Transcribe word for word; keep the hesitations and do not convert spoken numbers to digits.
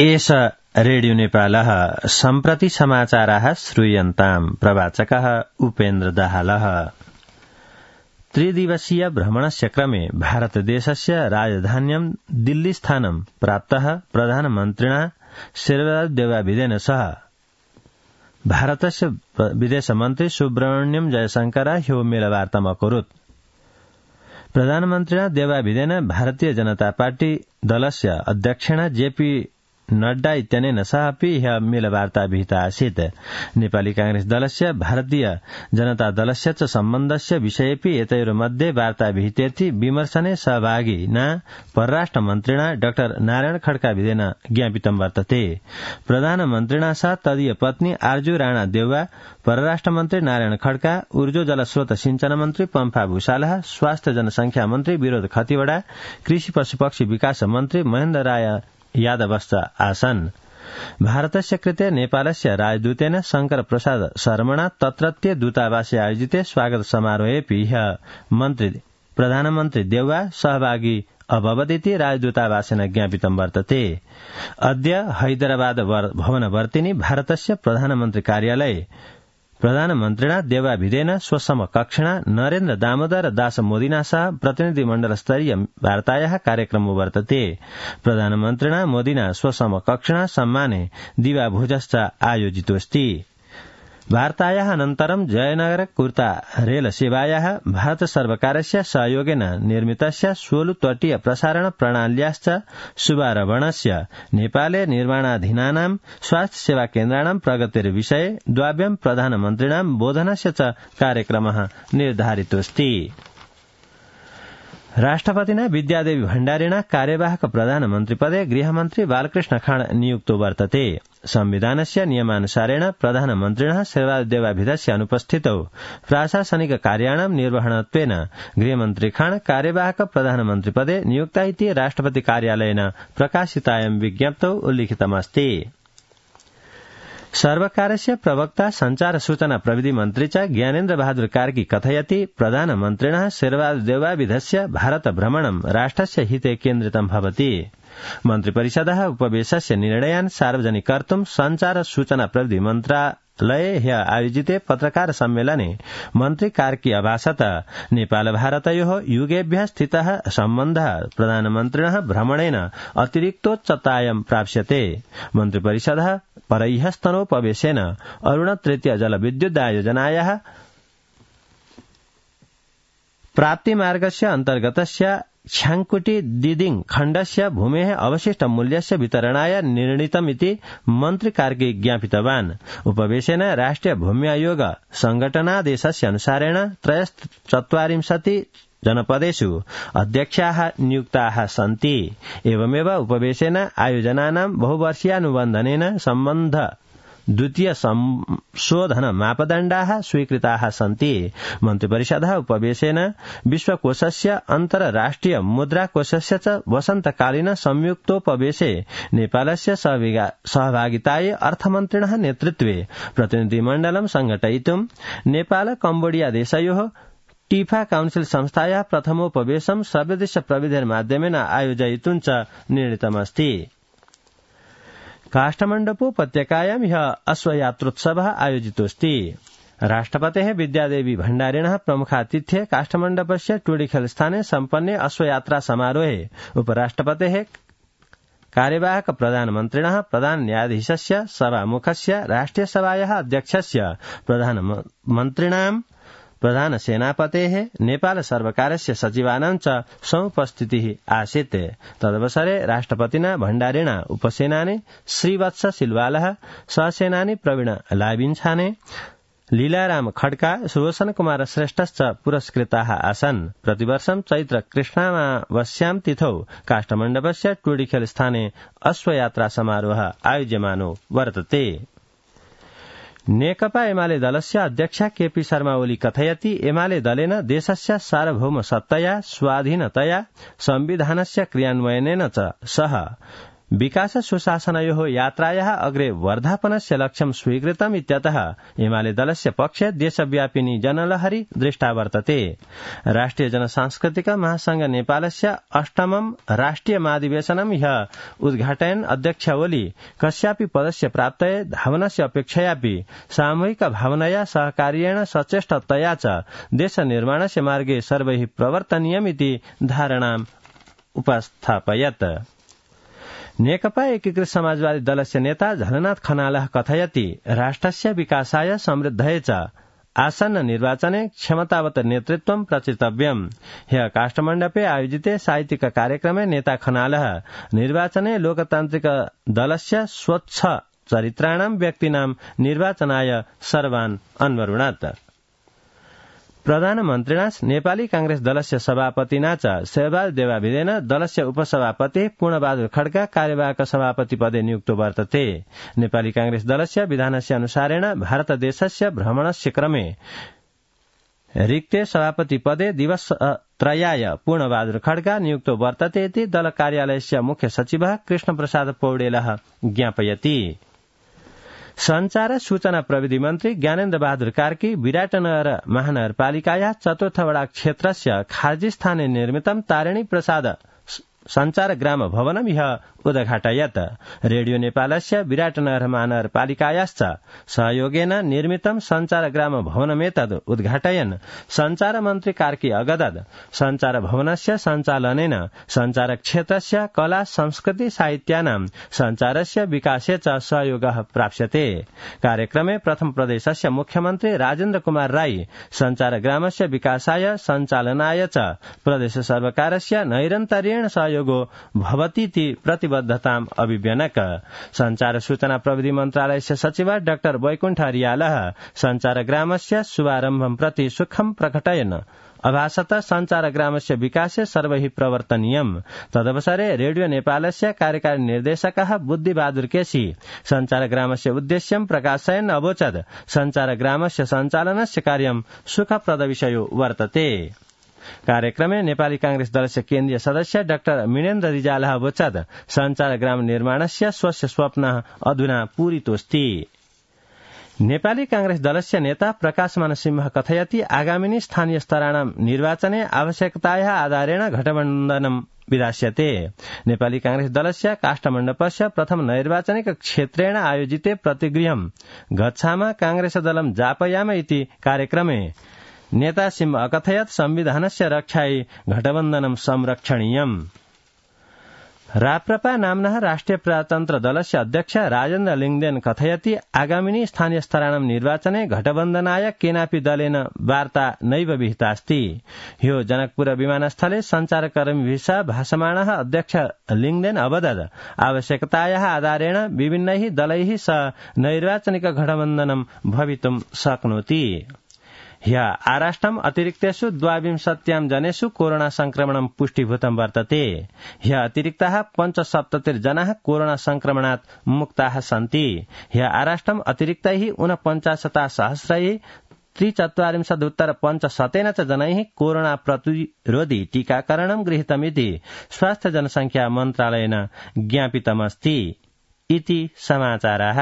एष रेडियो नेपालः सम्प्रति समाचाराः श्रूयन्ताम्। प्रवाचकः उपेन्द्र दाहालः। त्रिदिवसीय भ्रमणस्य क्रमे भारतदेशस्य राजधान्यां दिल्लीस्थानं प्राप्तः प्रधानमन्त्रिणा शेरवादेवाभिदेन सह भारतस्य विदेशमन्त्री सुब्रह्मण्यम जयशंकर ह्यो मेलवार्ताम् अकरोत्। प्रधानमन्त्रिणा देवाभिदेन भारतीय जनता पार्टी दलस्य अध्यक्षेण जेपी नड्डा इत्यनेन सह अपि ह्यः मेलवार्ता विहिता आसीत्। नेपाली कांग्रेस दलस्य भारतीय जनता दलस्य च सम्बन्धस्य विषयेऽपि एतयोर्मध्ये वार्ता विहितेति विमर्शने सहभागिना परराष्ट्रमन्त्रिणा डाक्टर नारायण खड्काभिदेन ज्ञापितं वर्तते। प्रधानमन्त्रिणा सह तदीय पत्नी आर्जू राणा देउवा, परराष्ट्रमन्त्री नारायण खड्का, ऊर्जो जलस्रोत सिंचन मन्त्री पम्फा भूषालः, स्वास्थ्य जनसंख्या मन्त्री विनोद खतिवड़ा, कृषि पशुपक्षी विकास मन्त्री महेन्द्र राय यादवश्च आसन्। भारतस्य कृते नेपालस्य राजदूतेन शंकर प्रसाद शर्मणा तत्रत्य दूतावासे आयोजिते स्वागत समारोहेऽपि ह्यः मन्त्री प्रधानमन्त्री देउवा सहभागी अभवदिति राजदूतावासेन ज्ञापितं वर्तते। अद्य हैदराबाद भवनवर्तिनि भारतस्य प्रधानमन्त्री कार्यालये प्रधानमन्त्रिणा देवाभिदेन स्वसमकक्षिणा नरेन्द्र दामोदर दास मोदिना सह प्रतिनिधिमण्डलस्तरीय वार्तायाः कार्यक्रमो वर्तते। प्रधानमन्त्रिणा मोदिना स्वसमकक्षिणा सम्माने दिवाभोजश्च आयोजितोऽस्ति। वार्तायाः अनन्तरं जयनगर कुर्ता रेल सेवायाः भारत सर्वकारस्य सहयोगेन निर्मितस्य सोलु तटीय प्रसारण प्रणाल्याश्च शुभारम्भस्य नेपाले निर्माणाधीनानां स्वास्थ्य सेवा केन्द्राणां प्रगतिर्विषये द्वाभ्यां प्रधानमन्त्रिणां बोधनस्य च कार्यक्रमः निर्धारितोऽस्ति। राष्ट्रपतिना विद्यादेवी भण्डारिणा कार्यवाहक प्रधानमन्त्रिपदे गृहमन्त्री बालकृष्ण खाँड नियुक्तो वर्तते। संविधानस्य नियमानुसारेण प्रधानमन्त्रिणः शेरवादेवाभिधस्य अनुपस्थितौ प्राशासनिक कार्याणां निर्वहणत्वेन गृहमन्त्री खाँड कार्यवाहक प्रधानमन्त्रिपदे नियुक्ता इति राष्ट्रपति कार्यालयेन प्रकाशितायां विज्ञप्तौ उल्लिखितमस्ति। सर्वकारस्य प्रवक्ता संचार सूचना प्रविधि मन्त्री च ज्ञानेन्द्र बहादुर कार्की कथयति प्रधानमन्त्रिणः शेरवादेवाभिधस्य भारत भ्रमणं राष्ट्रस्य हिते केन्द्रितं भवति। मन्त्रिपरिषदः उपवेशस्य निर्णयान् सार्वजनिकर्तुं संचार सूचना प्रविधि मन्त्रालये ह्यः आयोजिते पत्रकार सम्मेलने मन्त्री कार्की अभाषत नेपाल भारतयोः युगेभ्यः स्थितः सम्बन्धः प्रधानमन्त्रिणः भ्रमणेन अतिरिक्तोच्चतायां प्राप्स्यते। मन्त्रिपरिषदः परैहस्तनोपवेशेन अरुण तृतीय जलविद्युदायोजनायाः प्राप्तिमार्गस्य अन्तर्गतस्य छ्याङ्कुटी दिदिङ खण्डस्य भूमेः अवशिष्ट मूल्यस्य वितरणाय निर्णीतमिति मन्त्री कार्की ज्ञापितवान्। उपवेशेन राष्ट्रिय भूमि आयोग संघटनादेशस्य अनुसारेण त्रयश्चत्वारिंशति जनपदेषु अध्यक्षाः नियुक्ताः सन्ति। एवमेव उपवेशेन आयोजनानां बहुवर्षीयानुबन्धनेन सम्बन्ध द्वितीय संशोधन मापदण्डाः स्वीकृताः सन्ति। मन्त्रिपरिषदः उपवेशेन विश्वकोषस्य अन्तर्राष्ट्रिय मुद्राकोषस्य च वसन्तकालीन संयुक्तोपवेशे नेपालस्य सहभागितायै अर्थमन्त्रिणः नेतृत्वे प्रतिनिधिमण्डलं संघटयितुं नेपाल कम्बोडिया देशयोः टीफा काउन्सिल संस्थायाः प्रथमोपवेशं सर्वदेश प्रविधिर्माध्यमेन आयोजयितुं च निर्णीतमस्ति। काष्ठमण्डपोपत्यकायां ह्यः अश्वयात्रोत्सवः आयोजितोऽस्ति। राष्ट्रपतेः विद्यादेवी भण्डारिणः प्रमुखातिथ्ये काष्ठमण्डपस्य टूडिखल स्थाने सम्पन्ने अश्वयात्रा समारोहे उपराष्ट्रपतेः कार्यवाहक प्रधानमन्त्रिणः प्रधान न्यायाधीशस्य सभामुखस्य राष्ट्रियसभायाः अध्यक्षस्य प्रधानमन्त्रिणां प्रधान सेनापतेः नेपाल सर्वकारस्य सचिवानां च समुपस्थितिः आसीत्। तदवसरे राष्ट्रपतिना भण्डारिणा उपसेनानी श्रीवत्स सिलवालः, सहसेनानी प्रवीण लाबिन्छाने, लीलाराम खड्का, रोशन कुमार श्रेष्ठश्च पुरस्कृताः आसन्। प्रतिवर्षं चैत्र कृष्णामावस्यां तिथौ काष्ठमण्डपस्य टूडिखेल स्थाने अश्वयात्रा समारोहः आयोज्यमानो वर्तते। नेकपा एमाले दलस्य अध्यक्षा केपी शर्मा ओली कथयति एमाले दलेन देशस्य सार्वभौम सत्तया स्वाधीनतया संविधानस्य क्रियान्वयनेन च सह विकास सुशासनयोः यात्रायाः अग्रे वर्धापनस्य लक्ष्यं स्वीकृतम् इत्यतः एमाले दलस्य पक्षे देशव्यापिनी जनलहरी दृष्टा वर्तते। राष्ट्रिय जनसांस्कृतिक महासंघ नेपालस्य अष्टमं राष्ट्रिय महाधिवेशनं ह्यः उद्घाटयन् अध्यक्ष ओली कस्यापि पदस्य प्राप्तये धावनस्य अपेक्षयापि सामूहिक भावनया सहकार्येण सचेष्टतया च देशनिर्माणस्य मार्गे सर्वैः प्रवर्तनीयमिति धारणाम् उपस्थापयत्। नेकपा एकीकृत समाजवादी दलस्य नेता झलनाथ खनालः कथयति राष्ट्रस्य विकासाय समृद्धये च आसन्न निर्वाचने क्षमतावत नेतृत्वं प्रचितव्यम्। ह्यः काष्ठमण्डपे आयोजिते साहित्यिक कार्यक्रमे नेता खनालः निर्वाचने लोकतान्त्रिक दलस्य स्वच्छ चरित्राणां व्यक्तीनां निर्वाचनाय सर्वान् अन्वरुणत्। प्रधानमन्त्रिणा नेपाली कांग्रेस दलस्य सभापतिना च सहबाज देवाभिदेन दलस्य उपसभापति पूर्णबहादुर खड्का कार्यवाहक सभापति पदे नियुक्तो वर्तते। नेपाली कांग्रेस दलस्य विधानस्य अनुसारेण भारतदेशस्य भ्रमणस्य क्रमे रिक्ते सभापति पदे दिवसत्रयाय पूर्णबहादुर खड्का नियुक्तो वर्तते इति दल कार्यालयस्य मुख्य सचिवः कृष्णप्रसाद पौडेलः ज्ञापयति। संचार सूचना प्रविधि मन्त्री ज्ञानेन्द्र बहादुर कार्की विराटनगर महानगरपालिकायाः चतुर्थ वडा क्षेत्रस्य खार्जीस्थाने निर्मितं तारिणी प्रसाद संचार ग्राम भवनं ह्यः उद्घाटयत्। रेडियो नेपालस्य विराटनगर महानगरपालिकायाश्च सहयोगेन निर्मितं संचार ग्राम भवनमेतद् उद्घाटयन् संचार मन्त्री कार्की अगदत् संचार भवनस्य सञ्चालनेन संचार क्षेत्रस्य कला संस्कृति साहित्यानां संचारस्य विकासे च सहयोगः प्राप्स्यते। कार्यक्रमे प्रथम प्रदेशस्य मुख्यमन्त्री राजेन्द्र कुमार राई संचार ग्रामस्य विकासाय सञ्चालनाय च प्रदेश सर्वकारस्य नैरन्तर्येण सहयोगो भवतीति प्रतिबद्धताम् अभिव्यनक। संचार सूचना प्रविधि मन्त्रालयस्य सचिव डाक्टर वैकुण्ठ रियालः संचार ग्रामस्य शुभारम्भं प्रति सुखं प्रकटयन् अभासत संचार ग्रामस्य विकासे सर्वैः प्रवर्तनीयम्। तदवसरे रेडियो नेपालस्य कार्यकारी निर्देशकः बुद्धिबहादुर केसी संचार ग्रामस्य उद्देश्यं प्रकाशयन् अवोचत् संचार ग्रामस्य सञ्चालनस्य कार्यं सुखप्रद विषयो वर्तते। कार्यक्रमे नेपाली कांग्रेस दलस्य केन्द्रीय सदस्य डाक्टर मिनेन्द्र रिजालः अवोचत् संचार ग्राम निर्माणस्य स्वस्य स्वप्नः अधुना पूरितोऽस्ति। नेपाली कांग्रेस दलस्य नेता प्रकाशमान सिंह कथयति आगामिनी स्थानीय स्तराणां निर्वाचने आवश्यकतायाः आधारेण घटबन्धनं विधास्यते। नेपाली कांग्रेस दलस्य काष्ठमण्डपस्य प्रथम नैर्वाचनिक क्षेत्रेण आयोजिते प्रतिगृहं गच्छाम कांग्रेस दलं जापयाम इति कार्यक्रमे नेता सिंह अकथयत् संविधानस्य रक्षायै घटबन्धनं संरक्षणीयम्। राप्रपा नाम्नः राष्ट्रिय प्रजातन्त्र दलस्य अध्यक्ष राजेन्द्र लिङ्गदेन कथयति आगामिनी स्थानीय स्तराणां निर्वाचने घटबन्धनाय केनापि दलेन वार्ता नैव विहितास्ति। ह्यो जनकपुर विमानस्थले सञ्चारकर्मीभिः सह भाषमाणः अध्यक्ष लिङ्गदेन अवदत् आवश्यकतायाः आधारेण विभिन्नैः दलैः सह नैर्वाचनिक घटबन्धनं भवितुं शक्नोति। ह्यः आराष्ट्रम् अतिरिक्तेषु द्वाविंशत्यां जनेषु कोरोना संक्रमणं पुष्टीभूतं वर्तते। ह्यः अतिरिक्ताः पञ्चसप्ततिर्जनाः कोरोना संक्रमणात् मुक्ताः सन्ति। ह्यः आराष्ट्रम् अतिरिक्तैः ऊनपञ्चाशता सहस्रैः त्रिचत्वारिंशदुत्तर पञ्चशतेन च जनैः कोरोना प्रतिरोधि टीकाकरणं गृहीतमिति स्वास्थ्य जनसंख्या मन्त्रालयेन ज्ञापितमस्ति। इति समाचाराः।